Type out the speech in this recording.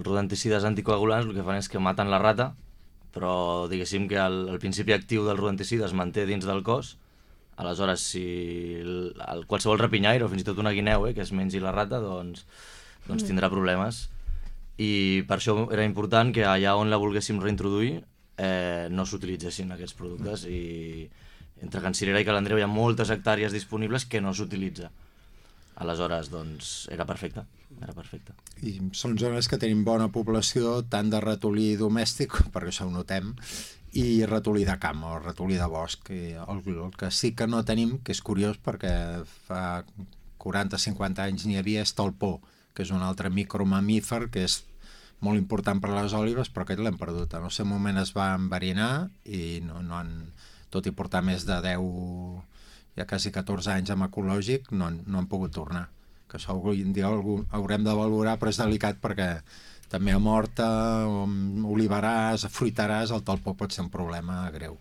rodenticides anticoagulants el que fan és que maten la rata, però diguéssim que el principi actiu del rodenticida es manté dins del cos. Aleshores, si qualsevol rapinyaire o fins i tot una guineu que es mengi la rata, doncs tindrà problemes. I per això era important que allà on la volguéssim reintroduir no s'utilitzessin aquests productes, i entre Can Cirera i Ca l'Andreu hi ha moltes hectàrees disponibles que no s'utilitza. Aleshores, doncs, era perfecte. I són zones que tenim bona població tant de ratolí domèstic, perquè això ho notem, i ratolí de camp o ratolí de bosc. I el que sí que no tenim, que és curiós perquè fa 40-50 anys n'hi havia, és talpó, que és un altre micromamífer que és molt important per a les òlibes, però aquest l'hem perdut. En el seu moment es va enverinar i no han, tot i portar més de 10, ja quasi 14 anys amb ecològic, no han pogut tornar. Que això un dia haurem de valorar, però és delicat perquè també a Horta, oliverars, fruitaràs, el talpó pot ser un problema greu.